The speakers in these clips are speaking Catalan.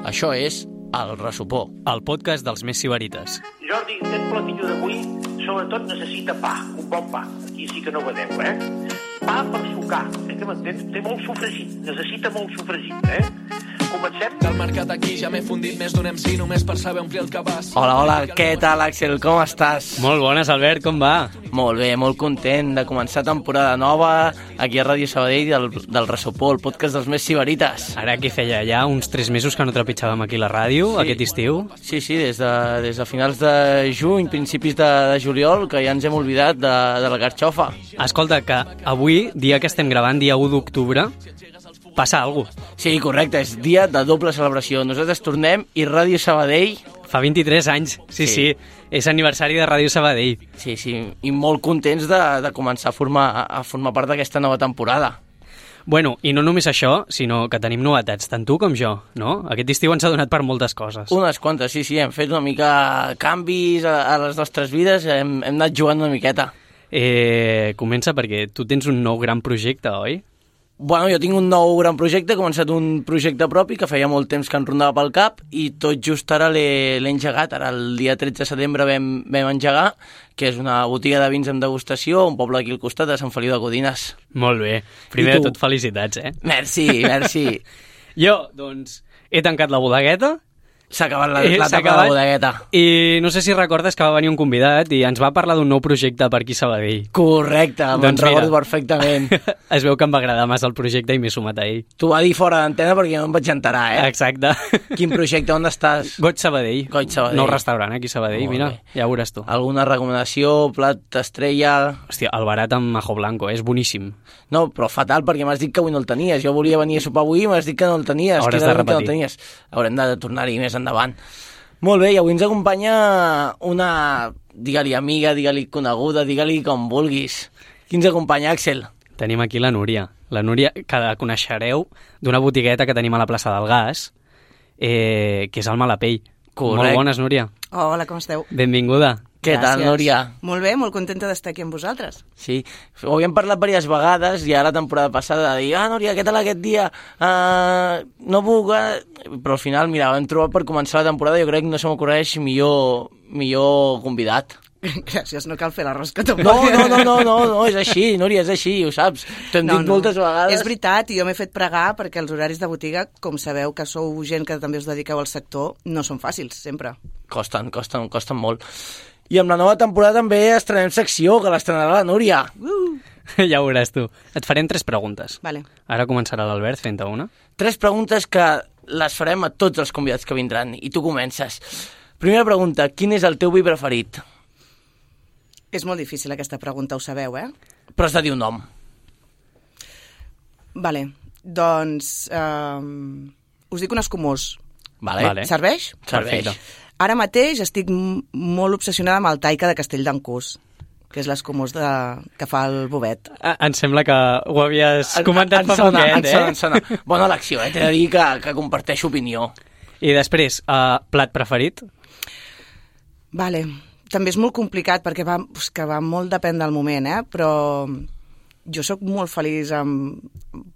Això és El Ressopó, el podcast dels més sibarites. Jordi, aquest platillo d'avui sobretot necessita pa, un bon pa. Aquí sí que no vedeu, Pa per sucar, que m'entens? Té molt sofregit, necessita molt sofregit, Comencem? Del mercat aquí ja m'he fundit més d'un MC només per saber omplir el cabàs. Hola, què tal, Àxel? Com estàs? Molt bones, Albert, com va? Molt bé, molt content de començar temporada nova aquí a Ràdio Sabadell del Ressopó, el podcast dels més sibarites. Ara que feia ja uns 3 mesos que no trepitjàvem aquí la ràdio, Sí. aquest estiu. Sí, des de finals de juny, principis de juliol, que ja ens hem oblidat de la carxofa. Escolta, que avui, dia que estem gravant, dia 1 d'octubre, passa alguna cosa. Sí, correcte, és dia de doble celebració. Nosaltres tornem i Ràdio Sabadell... Fa 23 anys, sí, és aniversari de Ràdio Sabadell. Sí, i molt contents de començar a formar part d'aquesta nova temporada. Bueno, i no només això, sinó que tenim novetats, tant tu com jo, no? Aquest estiu ens ha donat per moltes coses. Unes quantes, sí, hem fet una mica canvis a les nostres vides, hem anat jugant una miqueta. Comença perquè tu tens un nou gran projecte, oi? Bueno, jo tinc un nou gran projecte, he començat un projecte propi que feia molt temps que em rondava pel cap i tot just ara l'he engegat. Ara el dia 13 de setembre vam engegar, que és una botiga de vins amb degustació, un poble aquí al costat de Sant Feliu de Codines. Molt bé. Primer de tot, felicitats, Merci. Jo, doncs, he tancat la bodegueta. S'ha acabat l'etapa de la bodegueta. I no sé si recordes que va venir un convidat i ens va parlar d'un nou projecte per aquí a Sabadell. Correcte, me'n recordo perfectament. Es veu que em va agradar massa el projecte i m'he sumat a ell. T'ho va dir fora d'antena perquè no em vaig enterar, Exacte. Quin projecte, on estàs? Goig Sabadell. Nou restaurant aquí a Sabadell, mira, ja ho veuràs tu. Alguna recomanació, plat estrella... Hòstia, el barat amb ajo blanco, és boníssim. No, però fatal, perquè m'has dit que avui no el tenies. Jo volia venir a sopar avui i m'has dit que no el tenies. Hauràs de repetir. Haurem de tornar-hi més endavant. Molt bé, i avui ens acompanya una, digue-li amiga, digue-li coneguda, digue-li com vulguis. Qui ens acompanya, Àxel? Tenim aquí la Núria. La Núria, que la coneixereu d'una botigueta que tenim a la plaça del Gas, que és el Malapell. Correcte. Molt bones, Núria. Hola, com esteu? Benvinguda. Què tal, Núria? Molt bé, molt contenta d'estar aquí amb vosaltres. Sí, ho havíem parlat diverses vegades, ja la temporada passada, de dir, Núria, què tal aquest dia? No puc... Però al final, mira, vam trobar per començar la temporada, jo crec que no se m'ocorreix millor convidat. Gràcies, no cal fer la rosca tampoc. No, és així, Núria, és així, ho saps. T'ho hem dit moltes vegades. És veritat, i jo m'he fet pregar perquè els horaris de botiga, com sabeu que sou gent que també us dediqueu al sector, no són fàcils, sempre. Costen molt. I amb la nova temporada també estrenem secció, que l'estrenarà la Núria. Ja ho veuràs tu. Et farem 3 preguntes. Vale. Ara començarà l'Albert fent-te una. 3 preguntes que les farem a tots els convidats que vindran, i tu comences. Primera pregunta, quin és el teu vi preferit? És molt difícil aquesta pregunta, ho sabeu, Però has de dir un nom. Vale, doncs us dic un escumós. Vale. Serveix? Perfecte. Ara mateix estic molt obsessionada amb el Taika de Castell d'Encús, que és l'escumós que fa el Bobet. Em sembla que ho havies comentat fa poquet, Em sona. Bona elecció, t'he de dir que comparteixo opinió. I després, plat preferit? Vale, també és molt complicat perquè va molt depèn del moment, però jo sóc molt feliç amb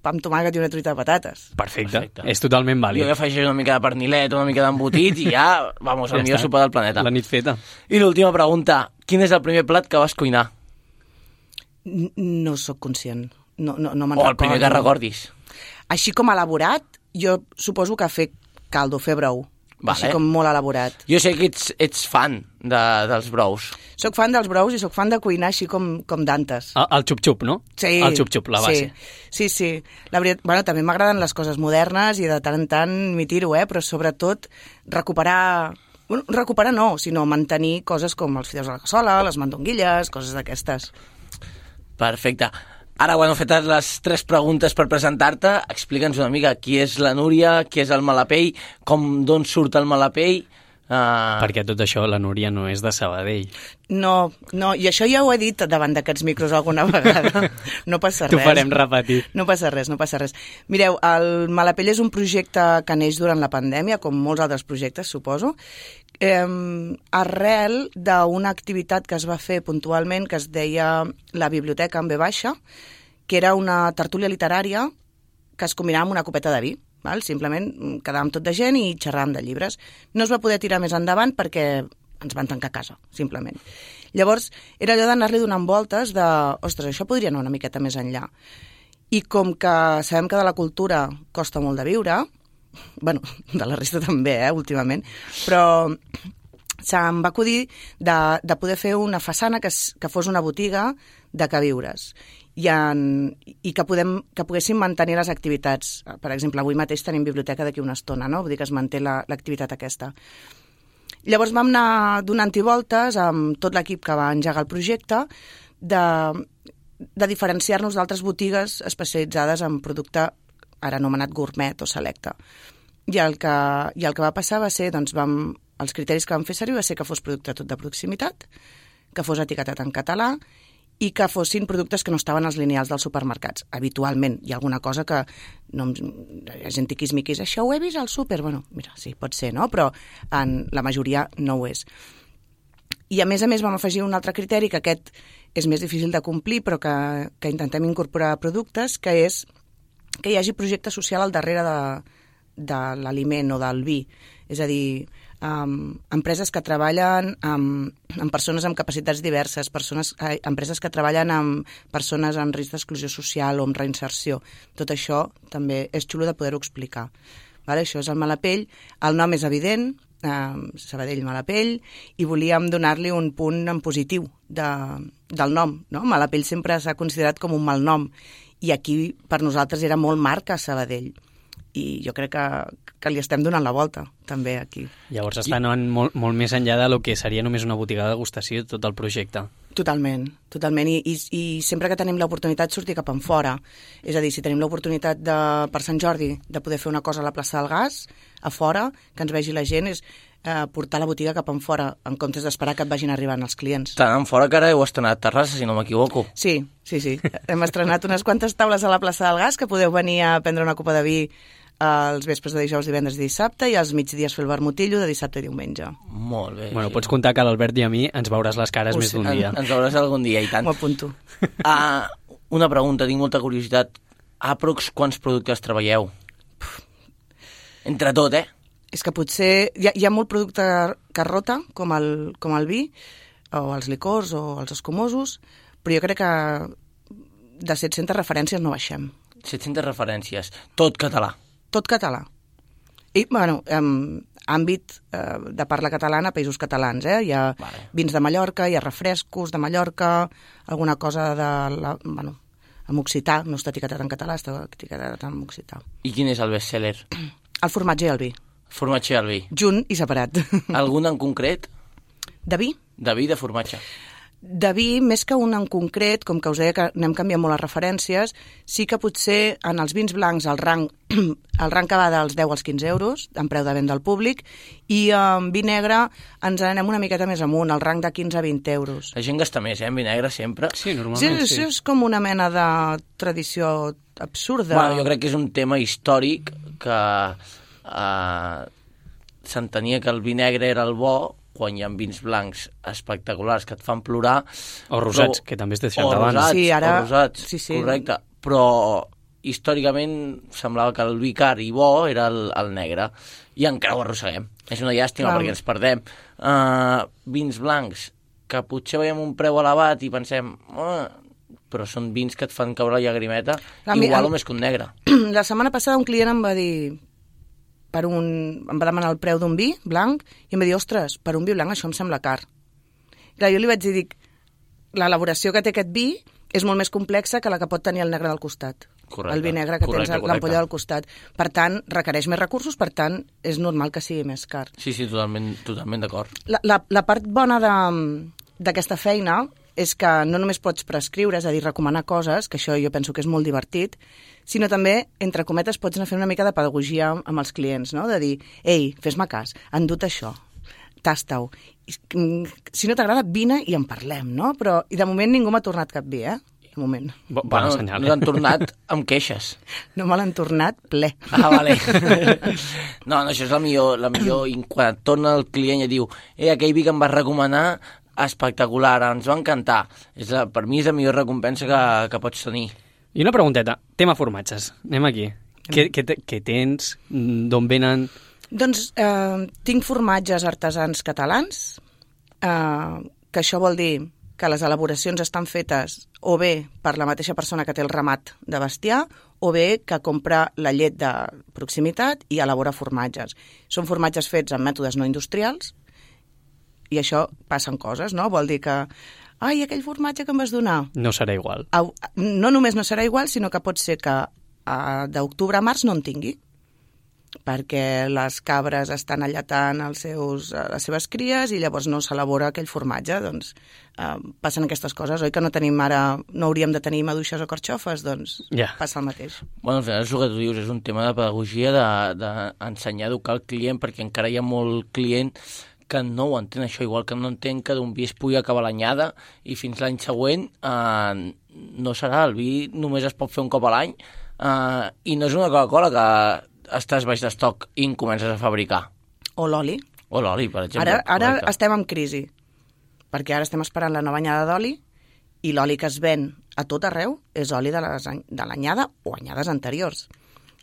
pa amb tomàquet i una truita de patates. Perfecte. És totalment vàlid. Jo afegeixo una mica de pernilet, una mica d'embotit i ja, vamos, el millor sopar del planeta. La nit feta. I l'última pregunta, quin és el primer plat que vas cuinar? No sóc conscient. No me'n recordo. O el primer que recordis. Així com elaborat, jo suposo que fer caldo, fer brou. Vale. Així com molt elaborat. Jo sé que ets fan dels brous. Soc fan dels brous i soc fan de cuinar així com d'antes. El xup-xup, no? Sí. El xup-xup, la base. Sí. La veritat, també m'agraden les coses modernes i de tant en tant m'hi tiro, però sobretot recuperar no, sinó mantenir coses com els fideus a la cassola, les mandonguilles, coses d'aquestes. Perfecte. Ara, fetes les 3 preguntes per presentar-te, explica'ns una mica qui és la Núria, qui és el Malapell, d'on surt el Malapell... Perquè tot això, la Núria no és de Sabadell. No, i això ja ho he dit davant d'aquests micros alguna vegada. No passa res. T'ho farem repetir. No passa res. Mireu, el Malapell és un projecte que neix durant la pandèmia, com molts altres projectes, suposo, arrel d'una activitat que es va fer puntualment que es deia la Biblioteca en V baixa, que era una tertúlia literària que es combinava amb una copeta de vi. val? Simplement quedàvem tot de gent i xerràvem de llibres. No es va poder tirar més endavant perquè ens van tancar a casa, simplement. Llavors, era allò d'anar-li donant voltes de, ostres, això podria anar una miqueta més enllà. I com que sabem que de la cultura costa molt de viure, bueno, de la resta també, últimament, però se'm va acudir de poder fer una façana que fos una botiga de queviures i que poguéssim mantenir les activitats. Per exemple, avui mateix tenim biblioteca d'aquí una estona, no? Vull dir que es manté l'activitat aquesta. Llavors vam anar donant-hi voltes amb tot l'equip que va engegar el projecte de diferenciar-nos d'altres botigues especialitzades en producte ara anomenat gourmet o selecte. I el que va passar va ser, doncs, els criteris que vam fer servir va ser que fos producte tot de proximitat, que fos etiquetat en català i que fossin productes que no estaven als lineals dels supermercats. Habitualment hi ha alguna cosa que hi ha gent tiquismiquis, això ho he vist al súper. Bueno, mira, sí, pot ser, no? Però en la majoria no ho és. I a més vam afegir un altre criteri, que aquest és més difícil de complir, però que intentem incorporar a productes, que és que hi hagi projecte social al darrere de l'aliment o del vi. És a dir, empreses que treballen amb persones amb capacitats diverses, empreses que treballen amb persones en risc d'exclusió social o amb reinserció. Tot això també és xulo de poder-ho explicar. Vale? Això és el Malapell. El nom és evident, Sabadell Malapell, i volíem donar-li un punt en positiu del nom. No? Malapell sempre s'ha considerat com un mal nom, i aquí per nosaltres era molt marca Sabadell. I jo crec que li estem donant la volta, també, aquí. Llavors està anant molt més enllà de lo que seria només una botiga de degustació i tot el projecte. Totalment. I sempre que tenim l'oportunitat sortir cap enfora. És a dir, si tenim l'oportunitat per Sant Jordi de poder fer una cosa a la plaça del Gas, a fora, que ens vegi la gent, és portar la botiga cap enfora, en comptes d'esperar que et vagin arribant els clients. Tant enfora que ara heu estrenat Terrassa, si no m'equivoco. Sí. Hem estrenat unes quantes taules a la plaça del Gas que podeu venir a prendre una copa de vi els vespres de dijous, divendres i dissabte, i als migdies fer el vermutillo de dissabte i diumenge. Molt bé. Bueno, pots comptar que a l'Albert i a mi ens veuràs les cares més d'un dia. Ens veuràs algun dia, i tant. M'ho apunto. Una pregunta, tinc molta curiositat. Aprox, quants productes treballeu? Entre tot, És que potser hi ha molt producte que rota, com el vi, o els licors, o els escumosos, però jo crec que de 700 referències no baixem. 700 referències. Tot català. Tot català. I, bueno, àmbit de parla catalana, països catalans, Hi ha vins de Mallorca, hi ha refrescos de Mallorca, alguna cosa amb occità, no està etiquetat en català, està etiquetat en occità. I quin és el best-seller? El formatge i el vi. Formatge i el vi. Junt i separat. Algun en concret? De vi? De vi, de formatge. De vi, més que un en concret, com que us deia que anem canviant molt les referències, sí que potser en els vins blancs el rang que va dels 10 als 15 euros, en preu de venda al públic, i en vi negre ens anem una miqueta més amunt, el rang de 15 a 20 euros. La gent gasta més, en vi negre, sempre. Sí, normalment sí. És com una mena de tradició absurda. Bueno, jo crec que és un tema històric que s'entenia que el vi negre era el bo, quan hi ha vins blancs espectaculars que et fan plorar. O rosats, que també es deixen davant. O rosats, correcte. Però històricament semblava que el vi car i bo era el negre. I encara ho arrosseguem. És una llàstima perquè ens perdem. Vins blancs, que potser veiem un preu elevat i pensem... però són vins que et fan caure la llagrimeta, igual o més que un negre. La setmana passada un client em va dir... em va demanar el preu d'un vi blanc i em va dir, ostres, per un vi blanc això em sembla car. Clar, jo li vaig dir, l'elaboració que té aquest vi és molt més complexa que la que pot tenir el negre del costat. Correcte, el vi negre que tens l'ampolla del costat. Per tant, requereix més recursos, per tant, és normal que sigui més car. Sí, totalment d'acord. La part bona d'aquesta feina és que no només pots prescriure, és a dir, recomanar coses, que això jo penso que és molt divertit, sinó també, entre cometes, pots anar fent una mica de pedagogia amb els clients, no? De dir, ei, fes-me cas, endut això, tasta-ho. Si no t'agrada, vine i en parlem, no? Però, i de moment ningú m'ha tornat cap vi, De moment. Bon senyal. No t'han tornat amb queixes. No me l'han tornat ple. Vale. No, això és la millor. I quan et torna el client i diu, aquell vi que em vas recomanar, espectacular, ens va encantar. Per mi és la millor recompensa que pots tenir. I una pregunteta, tema formatges, anem aquí. Què tens? D'on venen? Doncs tinc formatges artesans catalans, que això vol dir que les elaboracions estan fetes o bé per la mateixa persona que té el ramat de bestiar o bé que compra la llet de proximitat i elabora formatges. Són formatges fets amb mètodes no industrials i això passen coses, no? Vol dir que ai, aquell formatge que em vas donar... No serà igual. No només no serà igual, sinó que pot ser que d'octubre a març no en tingui, perquè les cabres estan allatant les seves cries i llavors no s'elabora aquell formatge. Doncs passen aquestes coses, oi que no tenim ara, no hauríem de tenir maduixes o carxofes? Doncs passa el mateix. Bueno, al final és el que tu dius, és un tema de pedagogia, d'ensenyar a educar el client, perquè encara hi ha molt client que no ho entén això, igual que no entén que d'un vi es pugui acabar l'anyada i fins l'any següent no serà, el vi només es pot fer un cop a l'any i no és una Coca-Cola que estàs baix d'estoc i en comences a fabricar. O l'oli. O l'oli, per exemple. Ara estem en crisi, perquè ara estem esperant la nova anyada d'oli i l'oli que es ven a tot arreu és oli de l'anyada o anyades anteriors.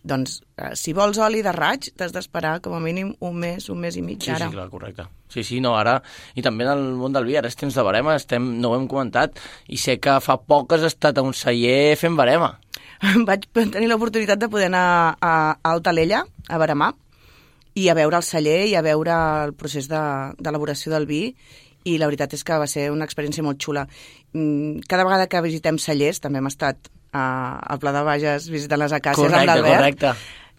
Doncs, si vols oli de raig, t'has d'esperar com a mínim un mes i mig ara. Sí, clar, correcte. Sí, no, ara... I també en el món del vi, ara és temps de barema, no ho hem comentat, i sé que fa poc has estat a un celler fent barema. Vaig tenir l'oportunitat de poder anar a Altalella, a baremar, i a veure el celler i a veure el procés d'elaboració del vi, i la veritat és que va ser una experiència molt xula. Cada vegada que visitem cellers, també hem estat al Pla de Bages visitant les acàcies amb l'Albert. Correcte.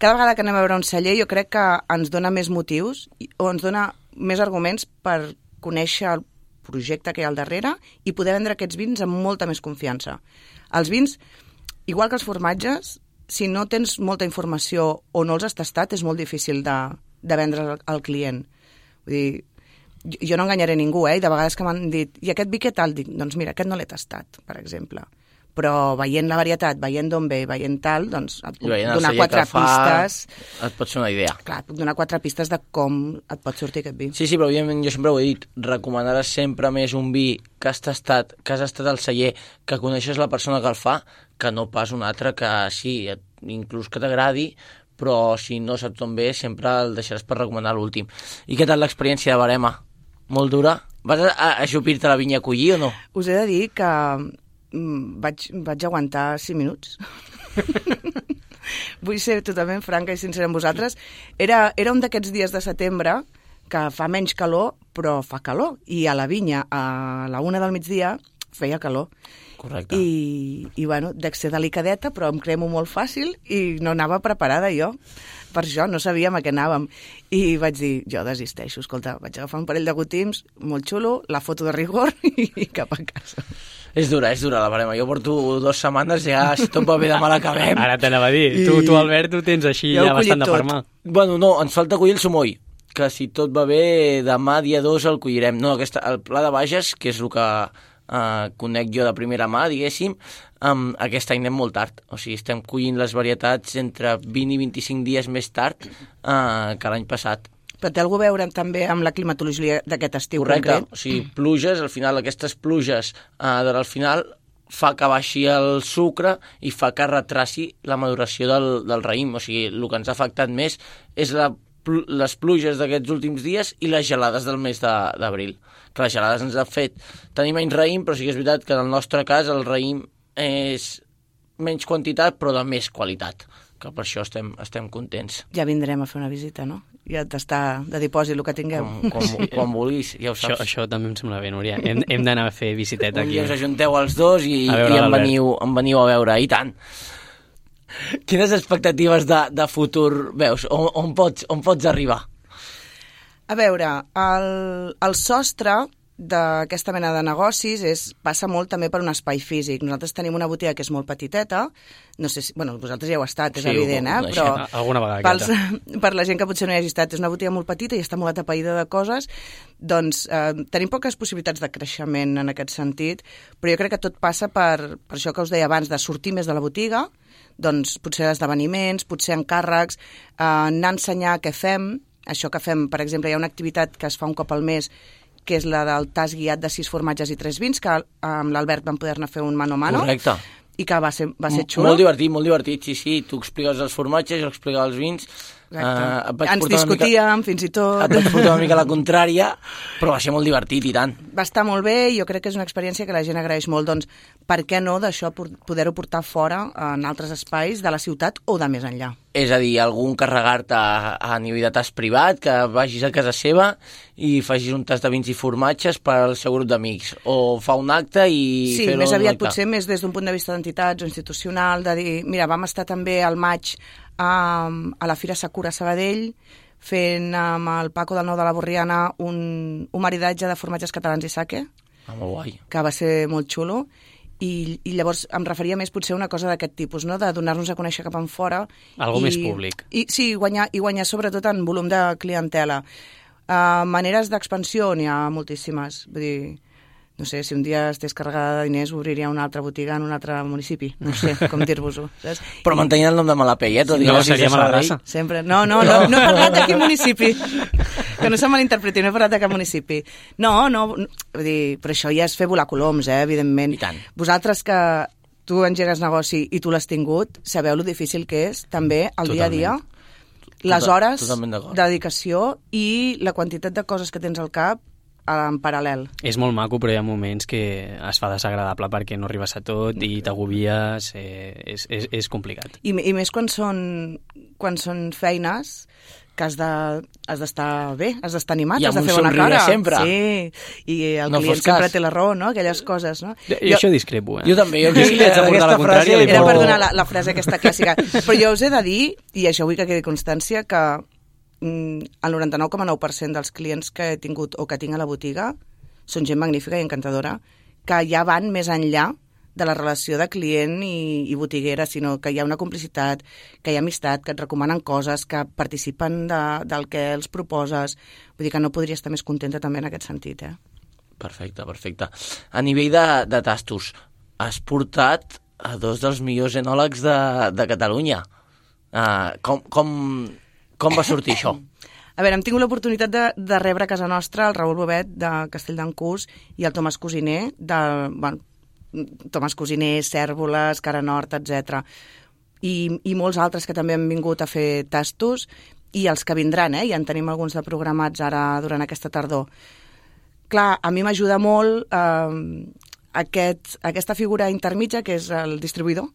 Cada vegada que anem a veure un celler jo crec que ens dona més motius o ens dona més arguments per conèixer el projecte que hi ha al darrere i poder vendre aquests vins amb molta més confiança. Els vins, igual que els formatges, si no tens molta informació o no els has tastat, és molt difícil de vendre al client. Vull dir, jo no enganyaré ningú, i de vegades que m'han dit i aquest vi què tal? Dic, doncs mira, aquest no l'he tastat, per exemple. Però veient la varietat, veient d'on ve, veient tal, doncs et puc donar 4 pistes. Et pot ser una idea. Clar, et puc donar 4 pistes de com et pot sortir aquest vi. Sí, però evidentment jo sempre ho he dit, recomanaràs sempre més un vi que has tastat, que has estat al celler, que coneixes la persona que el fa, que no pas un altre que sí, inclús que t'agradi, però si no saps on ve, sempre el deixaràs per recomanar l'últim. I què tal l'experiència de barema? Molt dura? Vas a ajupir-te la vinya a collir o no? Us he de dir que vaig aguantar 5 minuts. Vull ser totalment franca i sincera amb vosaltres. Era un d'aquests dies de setembre que fa menys calor, però fa calor. I a la vinya, a la 1 del migdia, feia calor. Correcte. I bueno, dec ser delicadeta, però em cremo molt fàcil i no anava preparada jo. Per això no sabíem a què anàvem. I vaig dir, jo desisteixo, escolta, vaig agafar un parell de gotims, molt xulo, la foto de rigor i cap a casa. És dura la barema. Jo porto 2 setmanes, ja si tot va bé demà l'acabem. Ara t'anava a dir, tu Albert, ho tens així ja bastant de per mà. Bueno, no, ens falta collir el sumoll, que si tot va bé, demà dia 2 el collirem. No, el Pla de Bages, que és el que conec jo de primera mà, diguéssim, aquest any anem molt tard. O sigui, estem collint les varietats entre 20 i 25 dies més tard que l'any passat. Però té alguna a veure també amb la climatologia d'aquest estiu concret? Correcte, o sigui, pluges, al final aquestes pluges al final fa que baixi el sucre i fa que retraci la maduració del raïm. O sigui, el que ens ha afectat més és les pluges d'aquests últims dies i les gelades del mes d'abril. Que les gelades ens han fet tenir menys raïm, però sí que és veritat que en el nostre cas el raïm és menys quantitat però de més qualitat, que per això estem contents. Ja vindrem a fer una visita, no? Ja t'està de dipòsit el que tingueu. Quan vulguis, ja ho saps. Això també em sembla bé, Núria. Hem d'anar a fer visiteta aquí. Un dia us ajunteu els dos i em veniu a veure, i tant. Quines expectatives de futur veus? On pots arribar? A veure, el sostre d'aquesta mena de negocis passa molt també per un espai físic. Nosaltres tenim una botiga que és molt petiteta, no sé si... Bueno, vosaltres ja heu estat, és evident, però alguna vegada per la gent que potser no hi hagi estat, és una botiga molt petita i està molt atapeïda de coses, doncs tenim poques possibilitats de creixement en aquest sentit, però jo crec que tot passa per això que us deia abans, de sortir més de la botiga, doncs potser esdeveniments, potser encàrrecs, anar a ensenyar què fem. Això que fem, per exemple, hi ha una activitat que es fa un cop al mes, que és la del tas guiat de 6 formatges i 3 vins, que amb l'Albert vam poder-ne fer un mano a mano. Correcte. i que va ser xulo. Molt divertit, sí. Tu expliques els formatges, jo explico els vins. Ens discutíem, fins i tot. Et vaig portar una mica la contrària, però va ser molt divertit, i tant. Va estar molt bé i jo crec que és una experiència que la gent agraeix molt. Doncs, per què no d'això poder-ho portar fora en altres espais de la ciutat o de més enllà? És a dir, algun carregar-te a nivell de tast privat, que vagis a casa seva i facis un tast de vins i formatges per al seu grup d'amics, o fa un acte i sí, fer-ho més aviat acte. Potser més des d'un punt de vista d'entitats o institucional, de dir, mira, vam estar també al maig a la Fira Sakura Sabadell fent amb el Paco del Nou de la Borriana un maridatge de formatges catalans i sake, molt guai, que va ser molt xulo. I llavors em referia més potser a una cosa d'aquest tipus, no? De donar-nos a conèixer cap en fora. Algo més públic. Sí, guanyar sobretot en volum de clientela. Maneres d'expansió n'hi ha moltíssimes. Vull dir, no sé, si un dia estigués carregada de diners, obriria una altra botiga en un altre municipi. No sé com dir-vos-ho. Però mantenint el nom de Malapell, No, seria Malagrassa. Sempre. No he parlat de quin municipi. Que no se malinterpreti, no he parlat de cap municipi. No, vull dir, però això ja és fer volar coloms, evidentment. I tant. Vosaltres que tu engegues negoci i tu l'has tingut, sabeu lo difícil que és també el dia a dia, les hores de dedicació i la quantitat de coses que tens al cap en paral·lel. És molt maco, però hi ha moments que es fa desagradable perquè no arribes a tot i t'agobies, és complicat. I més quan són feines que has d'estar bé, has d'estar animat, has de fer bona cara. Sempre. Sí, i el client sempre té la raó, no? Aquelles coses, no? Jo això discrepo, Jo també. Jo sí, li haig de portar la contrària. Era per donar la frase aquesta clàssica. Però jo us he de dir, i això vull que quedi constància, que el 99,9% dels clients que he tingut o que tinc a la botiga són gent magnífica i encantadora, que ja van més enllà de la relació de client i botiguera, sinó que hi ha una complicitat, que hi ha amistat, que et recomanen coses, que participen del que els proposes. Vull dir que no podria estar més contenta també en aquest sentit, Perfecte. A nivell de tastos, has portat a dos dels millors enòlegs de Catalunya. Com va sortir això? A veure, hem tingut l'oportunitat de rebre a casa nostra el Raül Bobet de Castelld'en-Cús i el Tomàs Cosiner Tomàs Cosiner, Cèrvoles, Cara Nord, etc. I molts altres que també han vingut a fer tastos i els que vindran, ja en tenim alguns de programats ara durant aquesta tardor. Clar, a mi m'ajuda molt aquesta figura intermitja que és el distribuïdor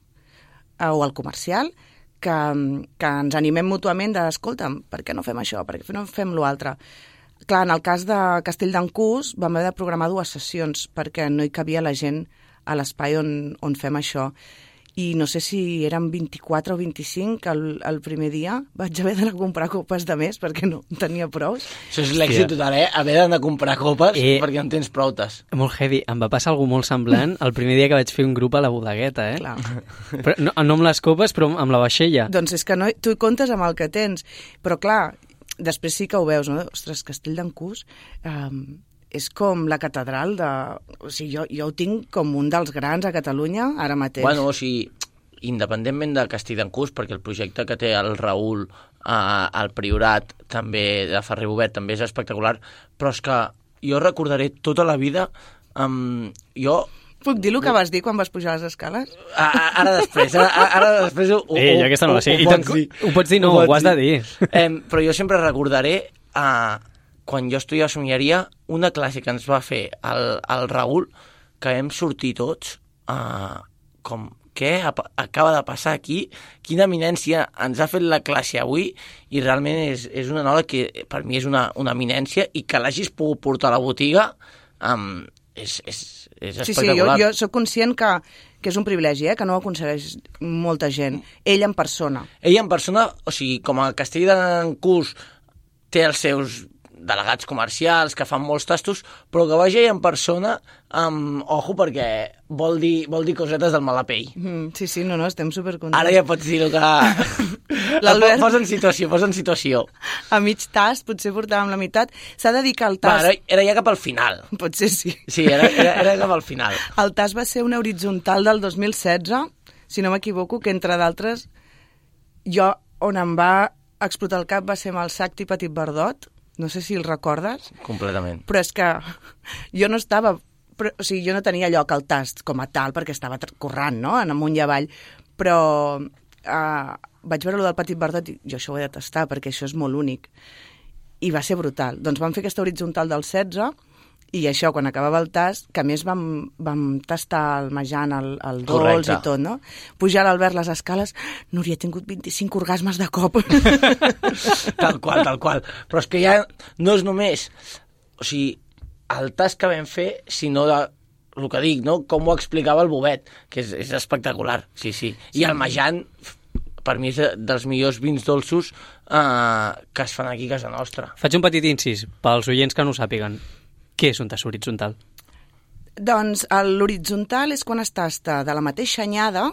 o el comercial, que ens animem mútuament escolta'm, per què no fem això, per què no fem l'altre? Clar, en el cas de Castelld'en-Cús vam haver de programar 2 sessions perquè no hi cabia la gent a l'espai on fem això. I no sé si eren 24 o 25 el primer dia. Vaig haver d'anar a comprar copes de més perquè no tenia prous. Això és l'èxit total, Haver d'anar a comprar copes perquè en tens proutes. Molt heavy. Em va passar alguna molt semblant el primer dia que vaig fer un grup a la bodegueta, Clar. Però no amb les copes, però amb la vaixella. Doncs és que no, tu comptes amb el que tens. Però clar, després sí que ho veus, no? Ostres, Castelld'en-Cús és com la catedral de... O sigui, jo ho tinc com un dels grans a Catalunya ara mateix. Bueno, o sigui, independentment de Castelld'en-Cús, perquè el projecte que té el Raül al Priorat, també de Ferrer Bovet, també és espectacular, però és que jo recordaré tota la vida... Puc dir el que vas dir quan vas pujar les escales? Ara després ho jo aquesta no la sé. Ho pots dir, no, ho has de dir. Però jo sempre recordaré, quan jo estudiava somieria, una classe que ens va fer el Raül, que vam sortir tots com... Què acaba de passar aquí? Quina eminència ens ha fet la classe avui? I realment és un enòleg que per mi és una eminència i que l'hagis pogut portar a la botiga és espectacular. Sí, jo soc conscient que és un privilegi, que no ho aconsegueix molta gent. Ell en persona. Ell en persona, o sigui, com a Castelld'en-Cús té els seus delegats comercials que fan molts tastos, però que vagi en persona ojo, perquè vol dir cosetes del Malapell. Sí, no, estem supercontents. Ara ja pots dir-ho que... Posa en situació. A mig tast, potser portàvem la meitat. S'ha de dir que el tast... Era ja cap al final. Potser sí. Sí, era cap al final. El tast va ser una horitzontal del 2016, si no m'equivoco, que entre d'altres, jo on em va explotar el cap va ser amb el Sacti Petit Verdot. No sé si el recordes. Completament. Però és que jo no estava però, o sigui, jo no tenia lloc al tast com a tal, perquè estava corrent, no?, en amunt i avall, però vaig veure allò del Petit Verdot i jo això ho he de tastar, perquè això és molt únic. I va ser brutal. Doncs vam fer aquesta horitzontal del 16, i això, quan acabava el tast, que a més vam tastar el menjant, el dolç i tot, no? Pujar l'Albert les escales, Núria, he tingut 25 orgasmes de cop. Tal qual. Però és que ja no és només... O sigui, el tast que vam fer, sinó de el que dic, no? Com ho explicava el Bobet, que és espectacular, sí. I el menjant, per mi, és dels millors vins dolços que es fan aquí a casa nostra. Faig un petit incís, pels oients que no ho sàpiguen. Què és un tast horitzontal? Doncs l'horitzontal és quan es tasta de la mateixa anyada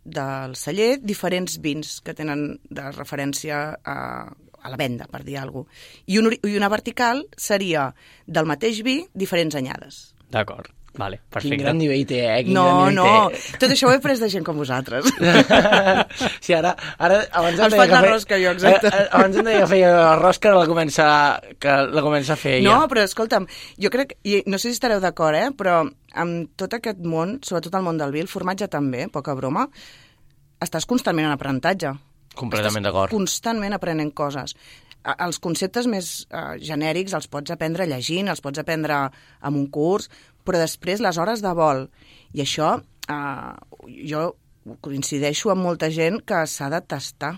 del celler diferents vins que tenen de referència a la venda, per dir alguna cosa. I una vertical seria del mateix vi diferents anyades. D'acord, vale, perfecte. Quin gran nivell té, No, tot això ho he pres de gent com vosaltres. Sí, ara abans Els faig la rosca, jo, exacte. Abans em deia que feia la rosca, que la comença a fer ella. No, però escolta'm, jo crec, i no sé si estareu d'acord, però amb tot aquest món, sobretot el món del vi, el formatge també, poca broma, estàs constantment en aprenentatge. Completament d'acord. Constantment aprenent coses. Els conceptes més genèrics els pots aprendre llegint, els pots aprendre amb un curs, però després les hores de vol. I això, jo coincideixo amb molta gent que s'ha de tastar.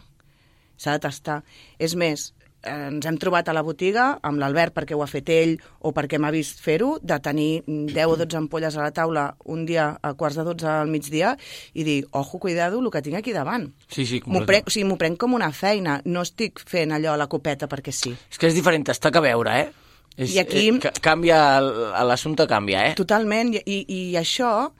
S'ha de tastar. És més, ens hem trobat a la botiga amb l'Albert perquè ho ha fet ell o perquè m'ha vist fer-ho, de tenir 10 o 12 ampolles a la taula un dia a 11:45 al migdia i dir, ojo, cuidado, el que tinc aquí davant. Sí, m'ho prenc com una feina, no estic fent allò a la copeta perquè sí. És que és diferent tastar que veure, I aquí... Canvia, l'assumpte canvia, Totalment, i això...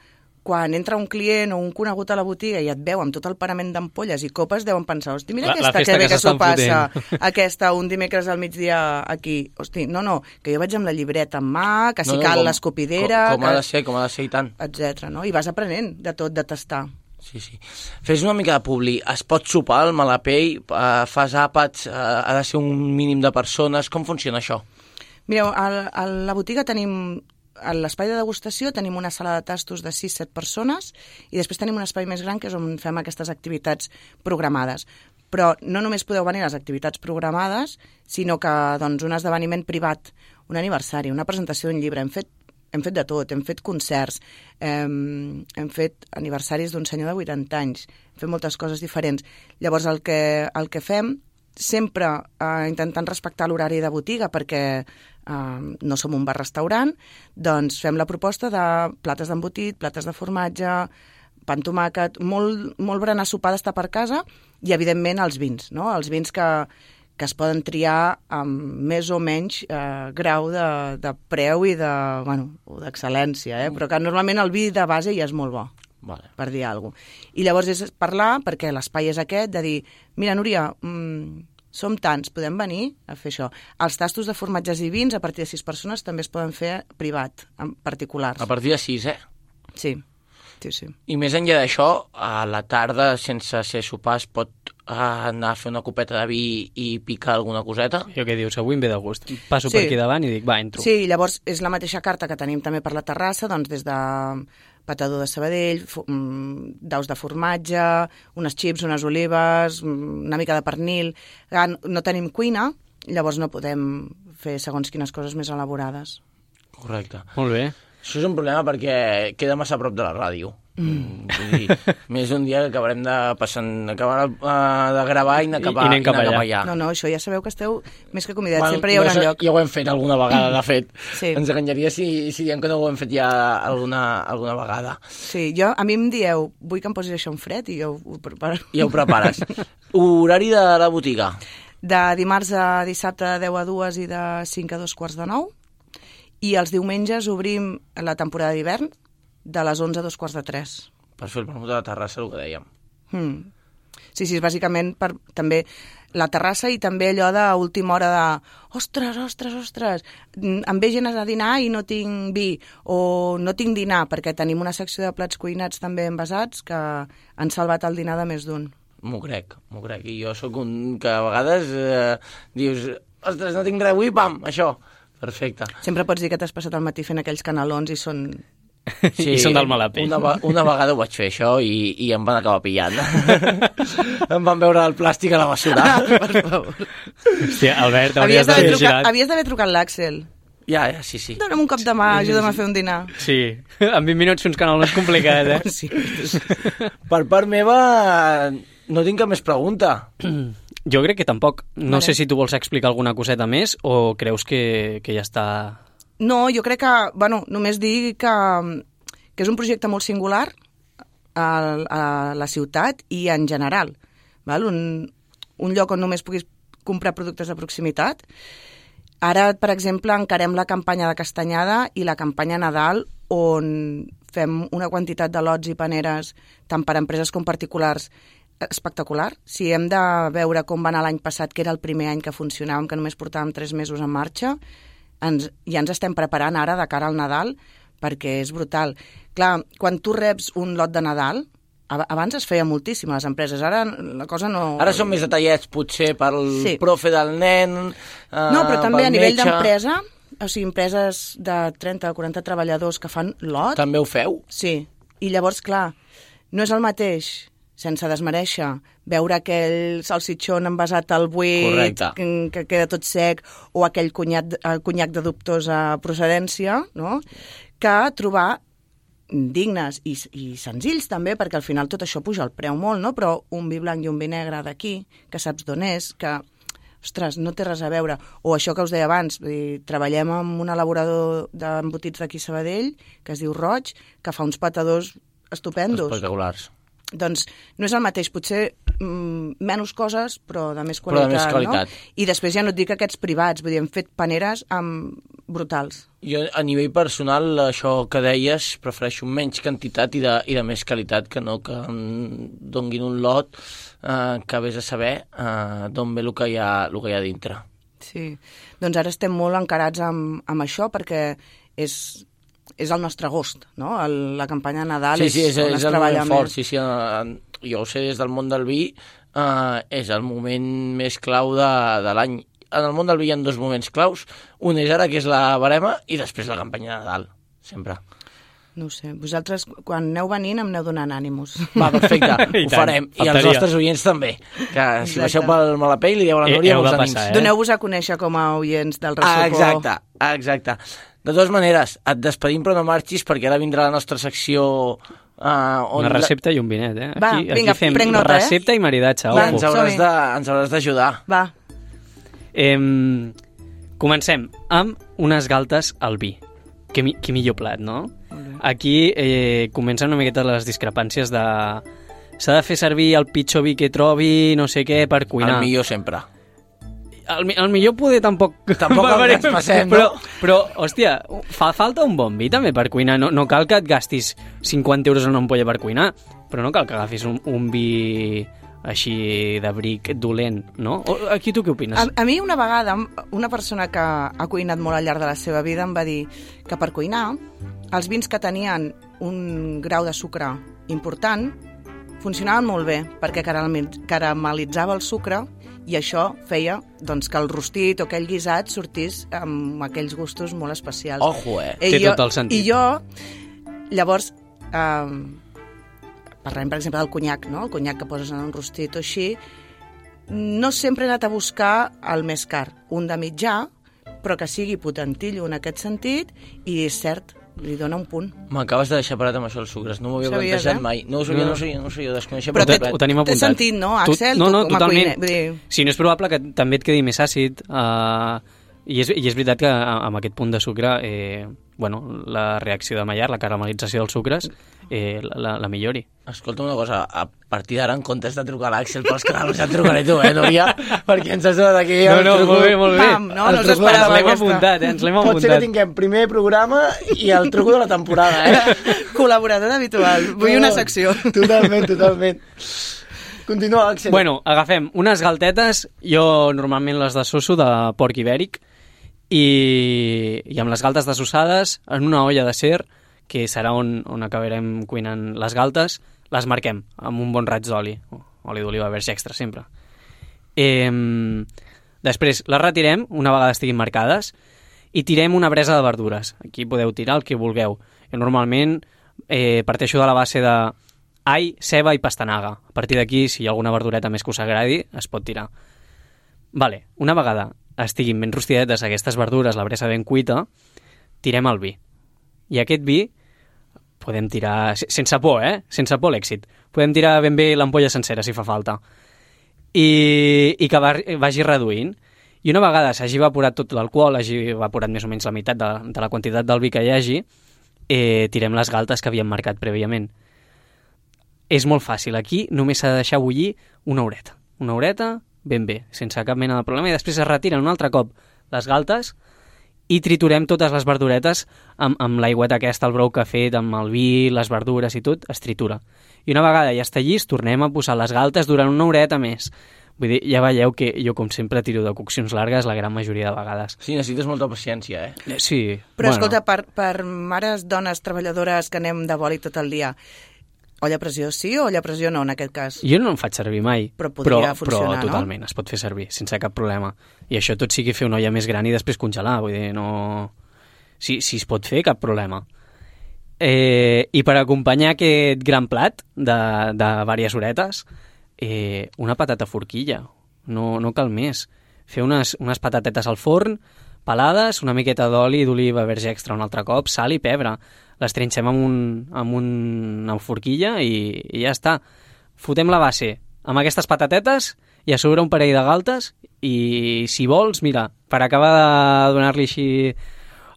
Quan entra un client o un conegut a la botiga i et veu amb tot el parament d'ampolles i copes, deuen pensar, hosti, mira aquesta, que bé que s'ho passa, aquesta, un dimecres al migdia aquí. Hosti, no, que jo vaig amb la llibreta en mà, que si cal l'escopidera... Com ha de ser, i tant. Etcètera, no? I vas aprenent de tot, de tastar. Sí. Fes una mica de publi. Es pot sopar al Malapell? Fas àpats? Ha de ser un mínim de persones? Com funciona això? Mireu, a la botiga tenim... A l'espai de degustació tenim una sala de tastos de 6-7 persones i després tenim un espai més gran que és on fem aquestes activitats programades. Però no només podeu venir a les activitats programades, sinó que doncs, un esdeveniment privat, un aniversari, una presentació d'un llibre. Hem fet de tot, hem fet concerts, hem fet aniversaris d'un senyor de 80 anys, hem fet moltes coses diferents. Llavors el que fem, sempre intentant respectar l'horari de botiga perquè no som un bar-restaurant, doncs fem la proposta de plates d'embotit, plates de formatge, pa amb tomàquet, molt berenar sopar d'estar per casa i, evidentment, els vins, no? Els vins que es poden triar amb més o menys grau de preu i d'excel·lència, però que normalment el vi de base ja és molt bo. Vale. Per dir alguna cosa. I llavors és parlar, perquè l'espai és aquest, de dir, mira, Núria, som tants, podem venir a fer això. Els tastos de formatges i vins, a partir de 6 persones, també es poden fer privat, en particulars. A partir de 6, Sí. I més enllà d'això, a la tarda, sense ser sopar, es pot anar a fer una copeta de vi i picar alguna coseta? Jo què dius? Avui em ve de gust. Passo per aquí davant i dic, va, entro. Sí, llavors és la mateixa carta que tenim també per la terrassa, doncs des de patador de Sabadell, daus de formatge, unes xips, unes olives, una mica de pernil. No tenim cuina, llavors no podem fer segons quines coses més elaborades. Correcte. Molt bé. Això és un problema perquè queda massa a prop de la ràdio. Vull dir, més un dia que acabarem de gravar i anar cap allà. No, això ja sabeu que esteu més que convidats, sempre hi haurà lloc. Ja ho hem fet alguna vegada, de fet. Sí. Ens enganyaria si diem que no ho hem fet ja alguna vegada. Sí, a mi em dieu, vull que em posis això en fred i jo ho preparo. Ja ho prepares. Horari de la botiga? De dimarts a dissabte de 10 a 2 i de 5 a 2:45. I els diumenges obrim la temporada d'hivern de les 11 a 2:45. Per fer el menú de la terrassa, el que dèiem. Sí, bàsicament per també la terrassa i també allò d'última hora de ostres, em ve gent a dinar i no tinc vi, o no tinc dinar, perquè tenim una secció de plats cuinats també envasats que han salvat el dinar de més d'un. M'ho crec. I jo sóc un que a vegades dius, ostres, no tinc res avui, pam, això. Perfecte. Sempre pots dir que t'has passat el matí fent aquells canelons i són... Sí, i són del mala pell. Una vegada ho vaig fer, això, i em van acabar pillant. Em van veure el plàstic a la bessura. Per favor. Hòstia, Albert, hauries d'haver girat. Havies d'haver trucat l'Àxel. Ja, sí. Dóna'm un cop de mà, ajuda'm a fer un dinar. Sí, en 20 minuts fer uns canelons complicats, eh? Sí. Per part meva, no tinc cap més pregunta. Jo crec que tampoc. No Vale. sé si tu vols explicar alguna coseta més o creus que ja està... No, jo crec que, bueno, només dir que és un projecte molt singular a la ciutat i en general. Val? Un lloc on només puguis comprar productes de proximitat. Ara, per exemple, encarem la campanya de Castanyada i la campanya Nadal, on fem una quantitat de lots i paneres, tant per a empreses com particulars, espectacular. Si hem de veure com va anar l'any passat, que era el primer any que funcionàvem, que només portàvem 3 mesos en marxa, ja ens estem preparant ara de cara al Nadal, perquè és brutal. Clar, quan tu reps un lot de Nadal, abans es feia moltíssim a les empreses, ara la cosa no... Ara són més detallets, potser, pel profe del nen, no, però també a nivell metge. d'empresa, o sigui, empreses de 30 o 40 treballadors que fan lot... També ho feu? Sí, i llavors, clar, no és el mateix, sense desmereixer, veure aquell salsitxon envasat al buit, que queda tot sec, o aquell conyac de dubtosa procedència, no?, que trobar dignes i senzills també, perquè al final tot això puja el preu molt, no? Però un vi blanc i un vi negre d'aquí, que saps d'on és, que, ostres, no té res a veure. O això que us deia abans, vull dir, treballem amb un elaborador d'embotits d'aquí a Sabadell, que es diu Roig, que fa uns patadors estupendos. Espectaculars. Doncs no és el mateix, potser menys coses, però de més qualitat. No? I després ja no et dic aquests privats, vull dir, hem fet paneres brutals. Jo, a nivell personal, això que deies, prefereixo menys quantitat i de més qualitat, que no que em donguin un lot que vés a saber d'on ve el que hi ha dintre. Sí, doncs ara estem molt encarats amb això, perquè és el nostre agost, no? La campanya de Nadal és on es treballa el moment fort, més. Sí, jo ho sé des del món del vi, és el moment més clau de l'any. En el món del vi hi ha 2 moments claus, un és ara, que és la barema, i després la campanya de Nadal, sempre. No ho sé, vosaltres quan aneu venint em aneu donant ànims. Va, perfecte, ho farem, i els nostres oients també, que si baixeu pel Malapell li dieu a la Núria molts ànims. Doneu-vos a conèixer com a oients del Ressocó. Exacte. De totes maneres, et despedim però no marxis, perquè ara vindrà la nostra secció... Una recepta i un vinet, eh? Va, vinga, prenc nota, recepta i maridatge. Va, ens hauràs d'ajudar. Va. Comencem amb unes galtes al vi. Que millor plat, no? Aquí comencen una miqueta les discrepàncies de... S'ha de fer servir el pitjor vi que trobi, no sé què, per cuinar. El millor sempre. El millor poder tampoc ens passem, no? Però, hòstia, fa falta un bon vi també per cuinar. No cal que et gastis 50 euros en una ampolla per cuinar, però no cal que agafis un vi així de bric dolent, no? Aquí tu què opines? A mi una vegada una persona que ha cuinat molt al llarg de la seva vida em va dir que per cuinar els vins que tenien un grau de sucre important funcionaven molt bé perquè caramelitzava el sucre i això feia doncs, que el rostit o aquell guisat sortís amb aquells gustos molt especials. Ojo, Té tot el sentit. I jo, llavors, parlem, per exemple, del conyac, no? El conyac que poses en un rostit o així, no sempre he anat a buscar el més car, un de mitjà, però que sigui potentillo en aquest sentit, i és cert, li dona un punt. M'acabes de deixar parat amb això dels sucres, no m'ho havia plantejat mai. No ho sabia, desconeixia. Però ho tenim apuntat. Té sentit, no, Axel? No, totalment. Sí, no és probable que també et quedi més àcid, i és veritat que amb aquest punt de sucre, la reacció de Maillard, la caramelització dels sucres, la millori. Escolta una cosa, a partir d'ara, en comptes de trucar a l'Àxel pels canals, ja et trucaré tu, Núria? Perquè ens has donat aquí... Molt bé. Pam, no us esperava ens l'hem apuntat. Pot ser que tinguem primer programa i el truco de la temporada, Col·laborador habitual. Vull una secció. Totalment. Continua, Àxel. Bueno, agafem unes galtetes, jo normalment les dessosso de porc ibèric, i amb les galtes dessossades en una olla d'acer, que serà on acabarem cuinant les galtes, les marquem amb un bon raig d'oli, oli d'oliva verge extra sempre. Després les retirem una vegada estiguin marcades i tirem una bresa de verdures. Aquí podeu tirar el que vulgueu. Jo normalment parteixo de la base de all, ceba i pastanaga. A partir d'aquí, si hi ha alguna verdureta més que us agradi, es pot tirar. Vale, una vegada estiguin ben rostidetes aquestes verdures, la bresa ben cuita, tirem el vi. I aquest vi podem tirar, sense por, sense por l'èxit, podem tirar ben bé l'ampolla sencera si fa falta. I que vagi reduint. I una vegada s'hagi evaporat tot l'alcohol, hagi evaporat més o menys la meitat de la quantitat del vi que hi hagi, tirem les galtes que havíem marcat prèviament. És molt fàcil. Aquí només s'ha de deixar bullir una horeta ben bé, sense cap mena de problema, i després es retiren un altre cop les galtes i triturem totes les verduretes amb l'aigüeta aquesta, el brou que ha fet, amb el vi, les verdures i tot, es tritura. I una vegada ja està llis, tornem a posar les galtes durant una horeta més. Vull dir, ja veieu que jo, com sempre, tiro de coccions largues la gran majoria de vegades. Sí, necessites molta paciència, Sí. Però, escolta, per mares, dones, treballadores que anem de boli tot el dia, olla a pressió sí o olla a pressió no, en aquest cas? Jo no en faig servir mai, però podria funcionar, però totalment, es pot fer servir, sense cap problema. I això tot sigui fer una olla més gran i després congelar, vull dir, no... Si es pot fer, cap problema. I per acompanyar aquest gran plat de diverses horetes, una patata forquilla, no cal més. Fer unes patatetes al forn, pelades, una miqueta d'oli d'oliva verge extra un altre cop, sal i pebre. Les trinxem amb una forquilla i ja està. Fotem la base amb aquestes patatetes i a sobre un parell de galtes i, si vols, mira, per acabar de donar-li així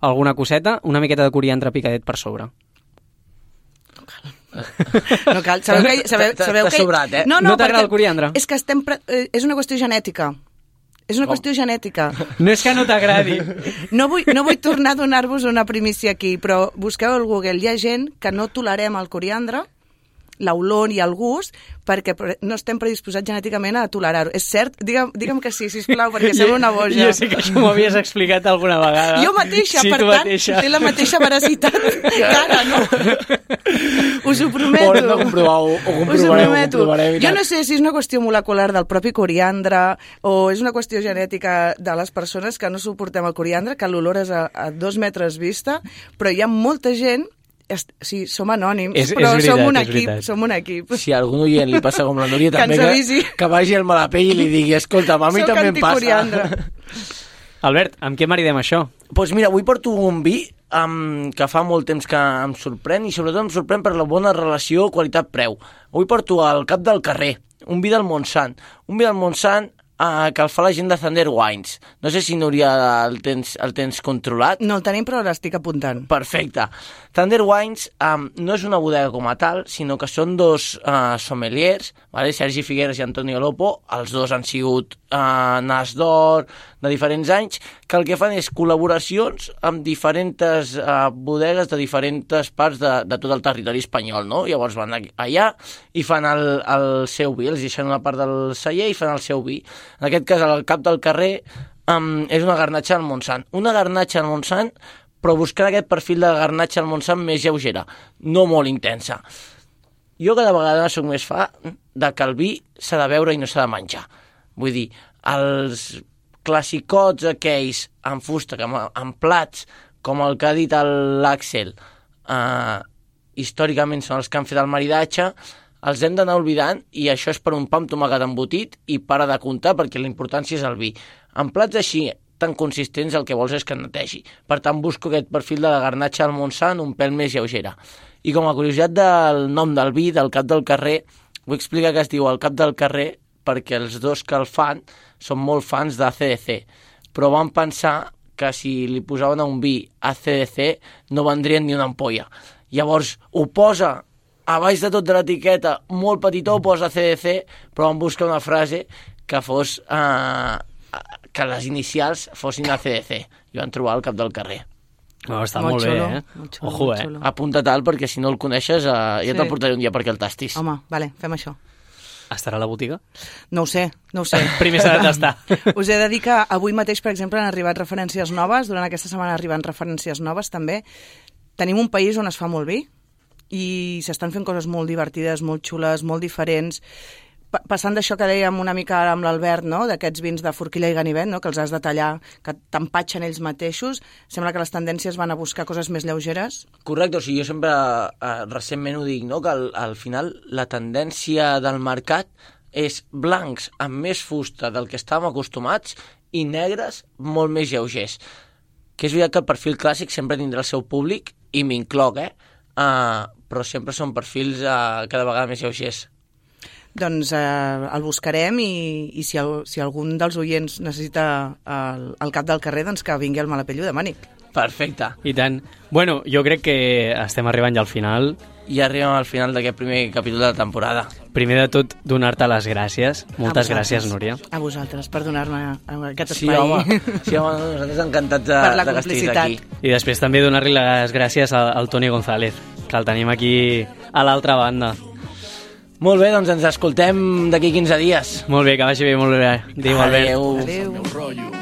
alguna coseta, una miqueta de coriandre picadet per sobre. No cal. Sabeu que... sobrat, No t'agrada el coriandre? És que és una qüestió genètica. És una qüestió genètica. No és que no t'agradi. No vull tornar a donar-vos una primícia aquí, però busqueu al Google. Hi ha gent que no tolerem el coriandre, l'olor i el gust, perquè no estem predisposats genèticament a tolerar-ho. És cert? Digue'm que sí, sisplau, perquè sembla una boja. Jo sé que això m'ho havies explicat alguna vegada. Jo mateixa, sí, per tant, té la mateixa veracitat que ara, no? Us ho prometo. Haurem de comprovar-ho. Jo no sé si és una qüestió molecular del propi coriandre o és una qüestió genètica de les persones que no suportem el coriandre, que l'olor és a 2 metres vista, però hi ha molta gent. Sí, som anònims, però som un equip. Si a algun oient li passa com la Núria, també que vagi al Malapell i li digui, escolta, a mi també em passa. Albert, amb què maridem això? Doncs mira, avui porto un vi que fa molt temps que em sorprèn i sobretot em sorprèn per la bona relació qualitat-preu. Avui porto el Cap del Carrer, un vi del Montsant. Un vi del Montsant que el fa la gent de Thunder Wines. No sé si, Núria, el tens controlat. No el tenim, però l'estic apuntant. Perfecte. Thunder Wines no és una bodega com a tal, sinó que són dos sommeliers, vale? Sergi Figueres i Antonio Lopo. Els dos han sigut Nas d'Or de diferents anys, que el que fan és col·laboracions amb diferents bodegues de diferents parts de tot el territori espanyol, no? Llavors van allà i fan el seu vi, els deixen una part del celler i fan el seu vi. En aquest cas, el Cap del Carrer és una garnatxa al Montsant. Una garnatxa al Montsant, però buscant aquest perfil de garnatxa al Montsant més lleugera, no molt intensa. Jo cada vegada soc més fa de que el vi s'ha de beure i no s'ha de menjar. Vull dir, els classicots aquells en fusta, en plats, com el que ha dit l'Àxel, històricament són els que han fet el maridatge, els hem d'anar oblidant i això és per un pa amb tomàquet embotit i para de comptar perquè la importància és el vi. En plats així tan consistents el que vols és que netegi. Per tant, busco aquest perfil de la garnatxa al Montsant un pèl més lleugera. I com a curiositat del nom del vi, del Cap del Carrer, vull explicar que es diu el Cap del Carrer perquè els dos que el fan són molt fans d'ACDC, però van pensar que si li posaven a un vi ACDC no vendrien ni una ampolla. Llavors ho posa a baix de tot de l'etiqueta, molt petitó, posa CDC, però van buscar una frase que fos que les inicials fossin ACDC. I van trobar el Cap del Carrer. Està molt bé, Molt xulo, Ojo, molt xulo. Apunta tal, perquè si no el coneixes ja te'l portaré un dia perquè el tastis. Home, vale, fem això. Estarà a la botiga? No ho sé. Primer s'ha de tastar. Us he de dir que avui mateix, per exemple, han arribat referències noves, durant aquesta setmana arriben referències noves també. Tenim un país on es fa molt vi i s'estan fent coses molt divertides, molt xules, molt diferents. passant d'això que dèiem una mica ara amb l'Albert, no? D'aquests vins de forquilla i ganivet, no? Que els has de tallar, que t'empatxen ells mateixos, sembla que les tendències van a buscar coses més lleugeres. Correcte, o sigui, jo sempre recentment ho dic, no? Que al final la tendència del mercat és blancs amb més fusta del que estàvem acostumats i negres molt més lleugers. Que és veritat que el perfil clàssic sempre tindrà el seu públic, i m'incloc, però sempre són perfils cada vegada més lleugers. Doncs el buscarem i si algun dels oients necessita el cap del carrer, doncs que vingui al Malapell i ho demani. Perfecte. I tant. Bueno, jo crec que estem arribant ja al final. I arribem al final d'aquest primer capítol de la temporada. Primer de tot, donar-te les gràcies. Moltes gràcies, Núria. A vosaltres, per donar-me aquest espai. Sí, home, nosaltres encantats de que estiguis aquí. I després també donar-li les gràcies al Toni González, que el tenim aquí a l'altra banda. Molt bé, doncs ens escoltem d'aquí 15 dies. Molt bé, que vagi bé, molt bé. Adéu, Albert. Adéu. Adéu.